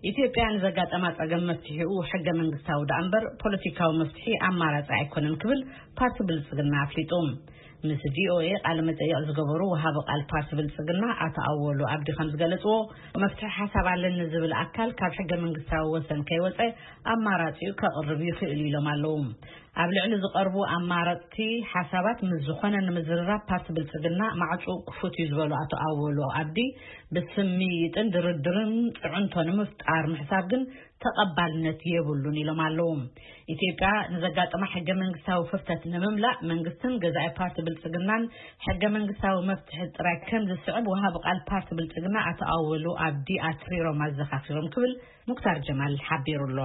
ኢትዮጵያ ንዘጋጠማ ጸገም መፍትሒኡ ሕገ መንግስታዊ ደኣ እምበር ፖለቲካዊ መፍትሒ ኣማራጺ ኣይኮነን ክብል ፓርቲ ብልጽግና ኣፍሊጡ። ምስ ቪኦኤ ቃለ መጠይቕ ዝገበሩ ወሃቢ ቃል ፓርቲ ብልጽግና ኣቶ ኣወሉ ኣብዲ ከም ዝገለጽዎ፣ መፍትሒ ሓሳብ ኣለኒ ዝብል ኣካል ካብ ሕገ መንግስታዊ ወሰን ከይወጸ ኣማራጺኡ ከቕርብ ይኽእል ኢሎም ኣለዉ። ኣብ ልዕሊ ዝቐርቡ ኣማረፅቲ ሓሳባት ምስ ዝኾነ ንምዝርራብ ፓርቲ ብልጽግና ማዕፁ ክፉት እዩ ዝበሉ ኣቶ ኣወሉ ኣብዲ፣ ብስምይጥን ድርድርን ፅዕንቶ ንምፍጣር ምሕሳብ ግን ተቐባልነት የብሉን ኢሎም ኣለዉ። ኢትዮጵያ ንዘጋጠማ ሕገ መንግስታዊ ክፍተት ንምምላእ መንግስትን ገዛኢ ፓርቲ ብልጽግናን ሕገ መንግስታዊ መፍትሒ ጥራይ ከም ዝስዕብ ወሃቢ ቃል ፓርቲ ብልጽግና ኣቶ ኣወሉ ኣብዲ ኣትሪሮም ኣዘኻኺሮም ክብል ሙክታር ጀማል ሓቢሩ ኣሎ።